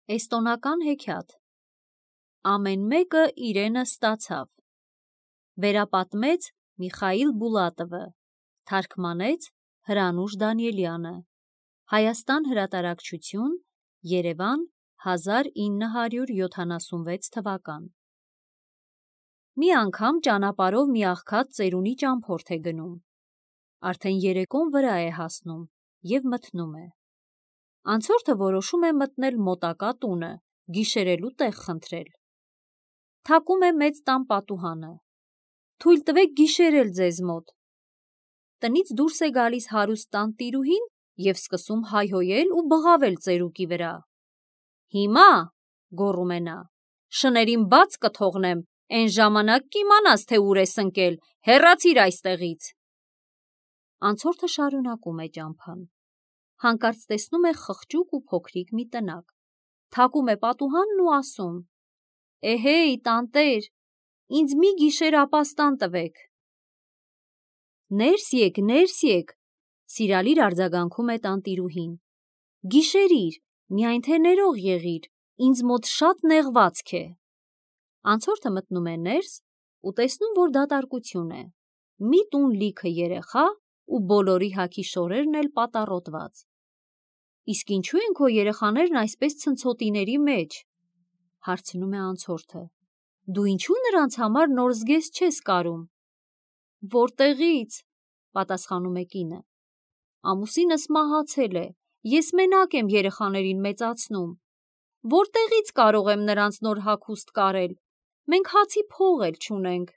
Էստոնական հեքիաթ։ Ամեն մեկը իրենը ստացավ։ Վերապատմեց Միխայիլ Բուլատովը, թարգմանեց Հրանուշ Դանիելյանը։ Հայաստան հրատարակչություն, Երևան, 1976 թվական։ Մի անգամ ճանապարհով մի աղքատ ծերունի ճամփորդ է գնում։ Արդեն երեկոն վրա է հասնում և մթնում է։ Անցորդը որոշում է մտնել մոտակա տունը, գիշերելու տեղ խնդրել։ Թակում է մեծ տան պատուհանը։ Թույլ տվեք գիշերել ձեզ մոտ։ Տնից դուրս է գալիս հարուստ տանտիրուհին և սկսում հայհոյել ու բղավել ծերուկի վրա։ Հիմա, գոռում է նա, շներին բաց կթողնեմ, էն ժամանակ կիմանաս, թե ուր ես ընկել, հեռացիր այստեղից։ Անցորդը շարունակում է ճամփան։ Հանկարծ տեսնում է խղճուկ ու փոքրիկ մի տնակ։ Թակում է պատուհանն ու ասում. «Էհեյ, տանտեր, ինձ մի գիշեր ապաստան տվեք»։ Ներս եկ, սիրալիր արձագանքում է տանտիրուհին։ Գիշերիր, միայն թե ներող եղիր, ինձ մոտ շատ նեղվածք է։ Անցորդը մտնում է ներս ու տեսնում, որ դատարկություն է։ Մի տուն լիքը երեխա ու բոլորի հագի շորերն էլ պատառոտված։ Իսկ ինչու են քո երեխաներն այսպես ցնցոտիների մեջ, հարցնում է անցորդը։ Դու ինչու նրանց համար նոր զգեստ չես կարում։ Որտեղի՞ց, պատասխանում է կինը։ Ամուսինս մահացել է, ես մենակ եմ երեխաներին մեծացնում։ Որտեղից կարող եմ նրանց նոր հագուստ կարել, մենք հացի փող էլ չունենք։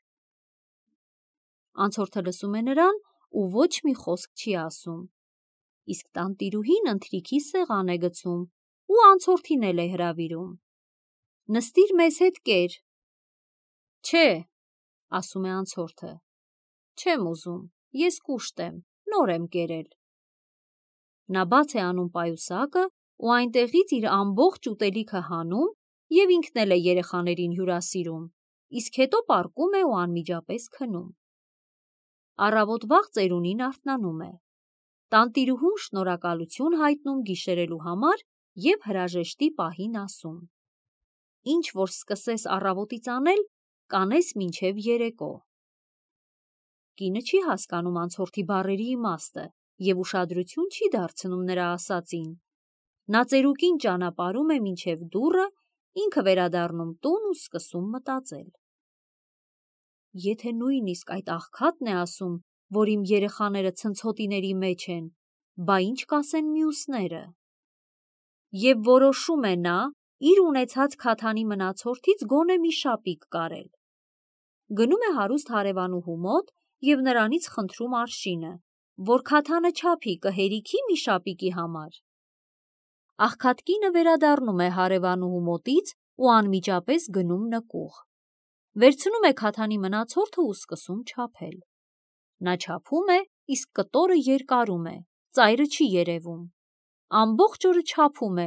Անցորդը լսում է նրան ու ոչ մի խոսք չի ասում։ Իսկ տանտիրուհին ընթրիքի սեղան է գցում ու անցորդին էլ է հրավիրում։ Նստիր մեզ հետ կեր։ Չէ, ասում է անցորդը, չեմ ուզում, ես կուշտ եմ, նոր եմ կերել։ Նա բաց է անում պայուսակը ու այնտեղից իր ամբողջ ուտելիքը հանում և ինքն էլ է երեխաներին հյուրասիրում, իսկ հետո պառկում է ու անմիջապես քնում։ Առավոտ վաղ ծերունին արթնանում է։ Տանտիրուհուն շնորհակալություն հայտնում գիշերելու համար և հրաժեշտի պահին ասում. Ինչ որ սկսես առավոտից անել, կանես մինչև երեկո։ Կինը չի հասկանում անցորդի բառերի իմաստը և ուշադրություն չի դարձնում նրա ասածին։ Նա ծերուկին ճանապարհում է մինչև դուռը, ինքը վերադառնում տուն ու սկսում մտածել. Եթե նույնիսկ այդ աղքատն է ասում, որ իմ երեխաները ցնցոտիների մեջ են, բա ինչ կասեն մյուսները։ Եվ որոշում է նա իր ունեցած քաթանի մնացորդից գոնե մի շապիկ կարել։ Գնում է հարուստ հարևանուհու մոտ և նրանից խնդրում արշինը, որ քաթանը չափի կհերիքի մի շապիկի համար։ Աղքատ կինը վերադառնում է հարևանուհու մոտից ու անմիջապես գնում նկուղ։ Վերցնում է քաթանի մնացորդը ու սկսում չափել։ Նա չափում է, իսկ կտորը երկարում է, ծայրը չի երևում։ Ամբողջ օրը չափում է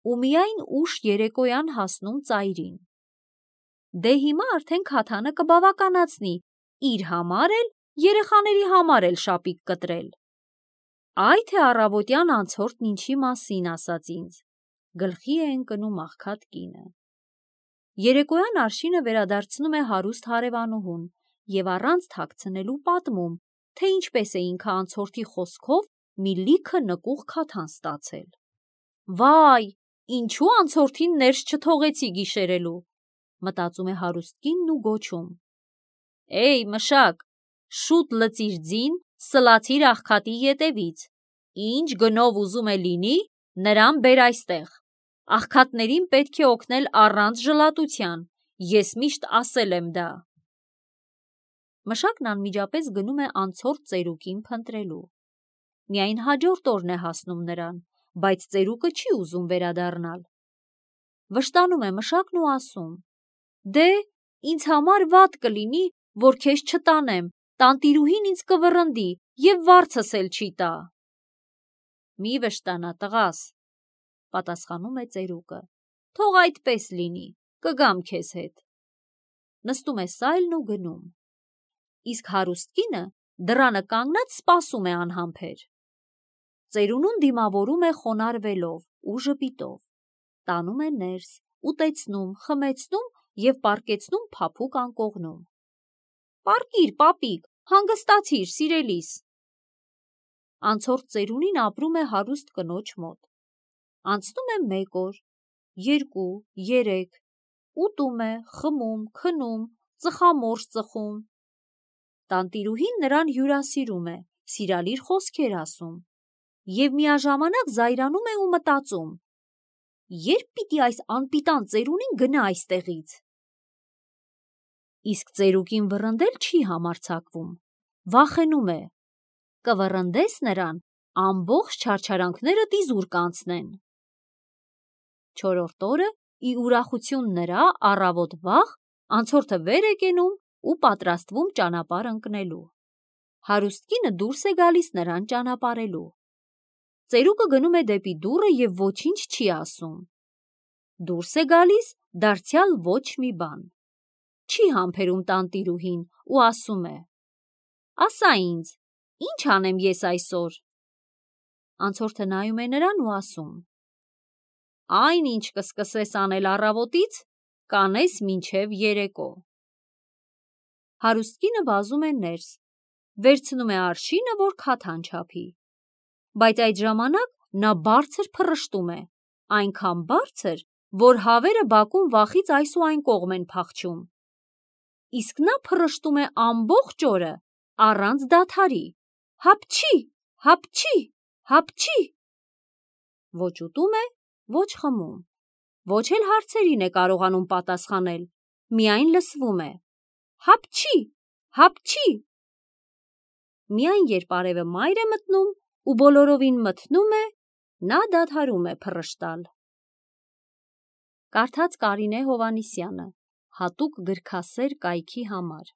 ու միայն ուշ երեկոյան հասնում ծայրին։ Դե հիմա արդեն քաթանը կբավականացնի իր համար էլ, երեխաների համար էլ շապիկ կտրել։ Այ թե առավոտյան անցորդն ինչի մասին ասաց ինձ, գլխի է ընկնում աղքատ կինը։ Երեկոյան արշինը վերադարձնում է հարուստ հարևանուհուն և առանց թաքցնելու պատմում, թե ինչպես է ինքը անցորդի խոսքով մի լիքը նկուղ քաթան ստացել։ Վայ, ինչու անցորդին ներս չթողեցի գիշերելու, մտածում է հարուստ կինն ու գոչում. Էй, մշակ, շուտ լցիր ձին, սլացիր աղքատի ետևից, ինչ գնով ուզում է լինի, նրան բեր այստեղ։ Աղքատներին պետք է օգնել առանց ժլատության, ես միշտ ասել եմ դա։ Մշակն անմիջապես գնում է անցորդ ծերուկին փնտրելու։ Միայն հաջորդ օրն է հասնում նրան, բայց ծերուկը չի ուզում վերադառնալ։ Վշտանում է մշակն ու ասում. Դե, ինձ համար վատ կլինի, որ քեզ չտանեմ, տանտիրուհին ինձ կվռնդի և վարձս էլ չի տա։ Մի վշտանա, տղաս, պատասխանում է ծերուկը, թող այդպես լինի, կգամ քեզ հետ։ Նստում է սայլն ու գնում։ Իսկ հարուստ կինը դռանը կանգնած սպասում է անհամբեր։ Ծերունուն դիմավորում է խոնարհվելով ու ժպիտով։ տանում է ներս, ուտեցնում, խմեցնում և պառկեցնում փափուկ անկողնում։ Պառկիր, պապիկ, հանգստացիր, սիրելիս։ Անցորդ ծերունին ապրում է հարուստ կնոջ մոտ։ Անցնում է 1 օր, 2, 3, ուտում է, խմում, քնում, ծխամորճ ծխում։ Տանտիրուհին նրան հյուրասիրում է, սիրալիր խոսքեր ասում և միաժամանակ զայրանում է ու մտածում. երբ պիտի այս անպիտան ծերունին գնա այստեղից։ Իսկ ծերուկին վռնդել չի համարձակվում, վախենում է, կվռնդես նրան, ամբողջ չարչարանքներդ իզուր կանցնեն։ 4-րդ օրը ի ուրախություն նրա առավոտ վաղ անցորդը վեր է կենում ու պատրաստվում ճանապարհ ընկնելու։ Հարուստ կինը դուրս է գալիս նրան ճանապարհելու։ Ծերուկը գնում է դեպի դուռը և ոչինչ չի ասում։ Դուրս է գալիս դարձյալ ոչ մի բան։ Չի համբերում տանտիրուհին ու ասում է. ասա ինձ, ի՞նչ անեմ ես այսօր։ Անցորդը նայում է նրան ու ասում. այն, ինչ կսկսես անել առավոտից, կանես մինչև երեկո։ Հարուստ կինը վազում է ներս, վերցնում է արշինը, որ քաթան չափի, բայց այդ ժամանակ նա բարձր փռշտում է, այնքան բարձր, որ հավերը բակում վախից այս ու այն կողմ են փախչում։ Իսկ նա փռշտում է ամբողջ օրը, առանց դադարի, հապչի, հապչի, հապչի։ Ոչ ուտում է, ոչ խմում, ոչ էլ հարցերին է կարողանում պատասխանել, միայն լսվում է. հապչի, հապչի։ Միայն երբ արևը մայր է մտնում ու բոլորովին մթնում է, նա դադարում է փռշտալ։ Կարդաց Կարինե Հովհաննիսյանը, հատուկ գրքասեր կայքի համար։